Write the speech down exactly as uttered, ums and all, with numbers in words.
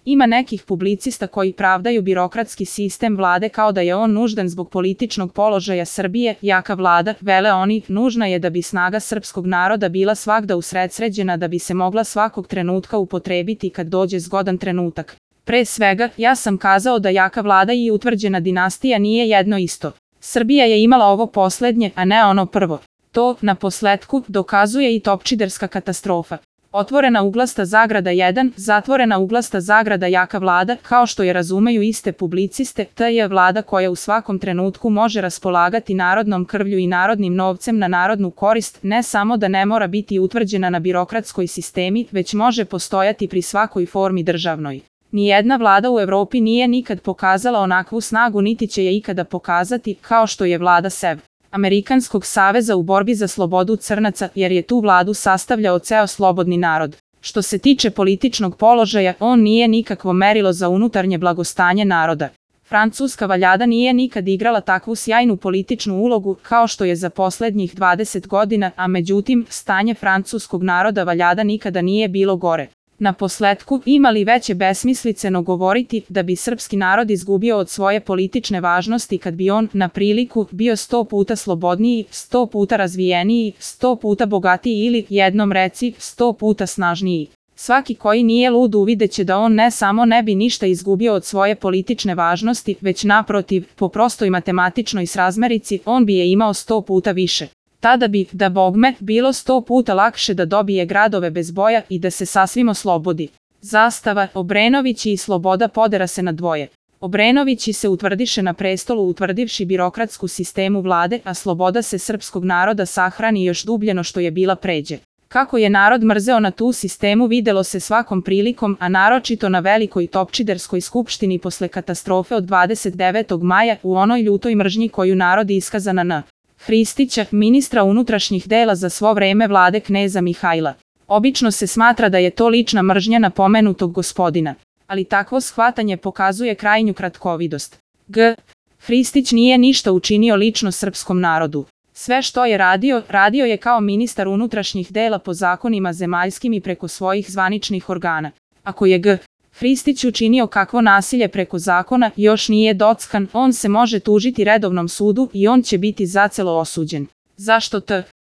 Ima nekih publicista koji pravdaju birokratski sistem vlade kao da je on nuždan zbog političnog položaja Srbije, jaka vlada, vele oni, nužna je da bi snaga srpskog naroda bila svagda usredsređena da bi se mogla svakog trenutka upotrebiti kad dođe zgodan trenutak. Pre svega, ja sam kazao da jaka vlada i utvrđena dinastija nije jedno isto. Srbija je imala ovo poslednje, a ne ono prvo. To, na posletku, dokazuje i topčiderska katastrofa. Otvorena uglasta zagrada jedan, zatvorena uglasta zagrada jaka vlada, kao što je razumeju iste publiciste, ta je vlada koja u svakom trenutku može raspolagati narodnom krvlju i narodnim novcem na narodnu korist, ne samo da ne mora biti utvrđena na birokratskoj sistemi, već može postojati pri svakoj formi državnoj. Nijedna vlada u Evropi nije nikad pokazala onakvu snagu niti će je ikada pokazati, kao što je vlada S E V. Amerikanskog saveza u borbi za slobodu crnaca, jer je tu vladu sastavljao ceo slobodni narod. Što se tiče političnog položaja, on nije nikakvo merilo za unutarnje blagostanje naroda. Francuska valjada nije nikad igrala takvu sjajnu političnu ulogu kao što je za poslednjih dvadeset godina, a međutim, stanje francuskog naroda valjada nikada nije bilo gore. Na posletku, ima li veće besmisliceno govoriti da bi srpski narod izgubio od svoje politične važnosti kad bi on, na priliku, bio sto puta slobodniji, sto puta razvijeniji, sto puta bogatiji ili, jednom reci, sto puta snažniji. Svaki koji nije lud uvideće da on ne samo ne bi ništa izgubio od svoje politične važnosti, već naprotiv, po prostoj matematičnoj srazmerici, on bi je imao sto puta više. Tada bi, da bogme, bilo sto puta lakše da dobije gradove bez boja i da se sasvim oslobodi. Zastava, Obrenovići i sloboda podera se na dvoje. Obrenovići se utvrdiše na prestolu utvrdivši birokratsku sistemu vlade, a sloboda se srpskog naroda sahrani još dubljeno što je bila pređe. Kako je narod mrzeo na tu sistemu videlo se svakom prilikom, a naročito na velikoj topčiderskoj skupštini posle katastrofe od dvadeset devetog maja u onoj ljutoj mržnji koju narod iskazana na Hristića, ministra unutrašnjih dela za svo vreme vlade kneza Mihajla. Obično se smatra da je to lična mržnja na pomenutog gospodina, ali takvo shvatanje pokazuje krajnju kratkovidost. G. Hristić nije ništa učinio lično srpskom narodu. Sve što je radio, radio je kao ministar unutrašnjih dela po zakonima zemaljskim i preko svojih zvaničnih organa. Ako je G. Hristić učinio kakvo nasilje preko zakona, još nije dockan, on se može tužiti redovnom sudu i on će biti zacelo osuđen. Zašto T.